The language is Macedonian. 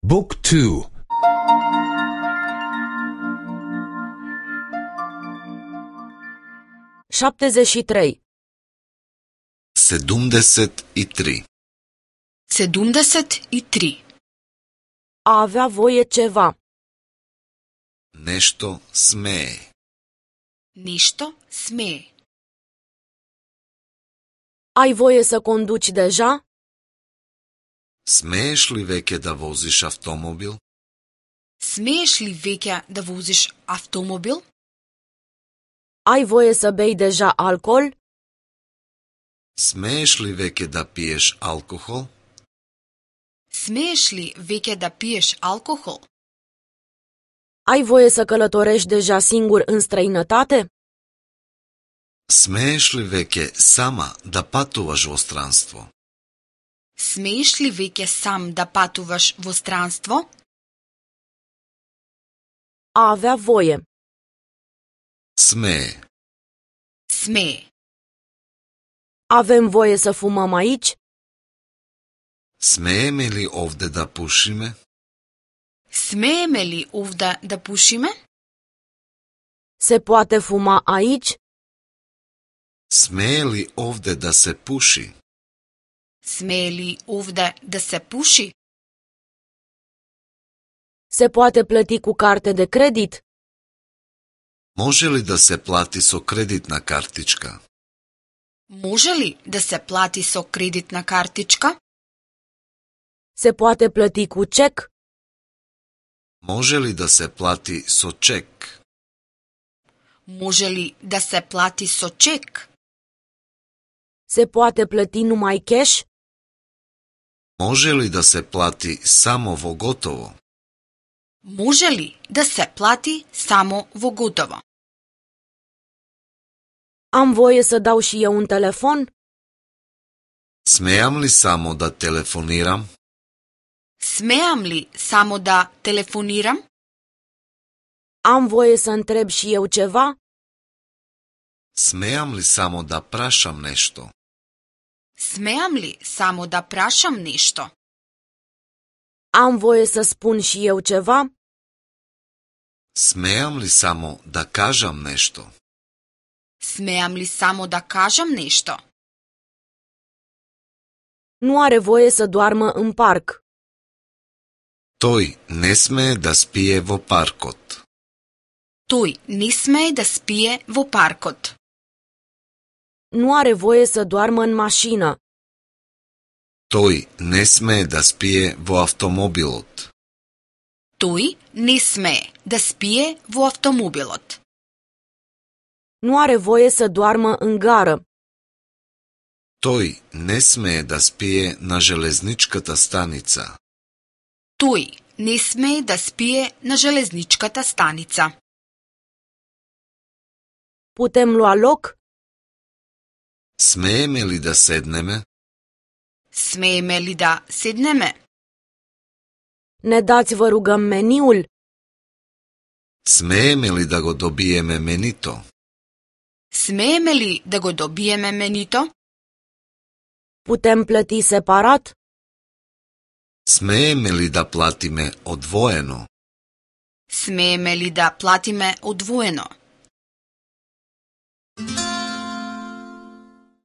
Book 2. 73. 73. 73. A avea voie ceva. Нешто смее. Нешто смее. Ai voie să conduci deja? Смееш ли веќе да возиш автомобил? Смееш ли веќе да возиш автомобил? Ai voie să bei deja alcool? Смееш ли веќе да пиеш алкохол? Смееш ли веќе да пиеш алкохол? Ai voie să călătorești deja singur în străinătate? Смееш ли веќе сама да патуваш во странство? Смееш ли веќе сам да патуваш во странство? A avea voie. Смее. Смее. Avem voie să fumăm aici? Смееме ли овде да пушиме? Смееме ли овде да пушиме? Se poate fuma aici? Смее ли овде да се пуши? Смее ли овде да се пуши? Se poate plăti cu carte de credit? Може ли да се плати со кредитна картичка? Може ли да се плати со кредитна картичка? Se poate plăti cu cec? Може ли да се плати со чек? Може ли да се плати со чек? Se poate plăti numai cash? Може ли да се плати само во готово? Може ли да се плати само во готово? Am voie să dau și eu un telefon? Смеам ли само да телефонирам? Смеам ли само да телефонирам? Am voie să întreb și eu ceva? Смеам ли само да прашам нешто? Смеам ли само да прашам нешто? Am voie să spun și eu ceva? Смеам ли само да кажам нешто? Смеам ли само да кажам нешто? Nu are voie să doarmă în parc. Тој не смее да спие во паркот. Тој не смее да спие во паркот. Nu are voie să doarmă în mașină. Тој не смее да спие во автомобилот. Тој не смее да спие во автомобилот. Nu are voie să doarmă în gară. Тој не смее да спие на железничката станица. Тој не смее да спие на железничката станица. Putem lua loc? Смееме ли да седнеме? Смееме ли да седнеме? Ne dați, vă rugăm, meniul? Смееме ли да го добиеме менито? Смееме ли да го добиеме менито? Putem plăti separat? Смееме ли да платиме одвоено? Смееме ли да платиме одвоено?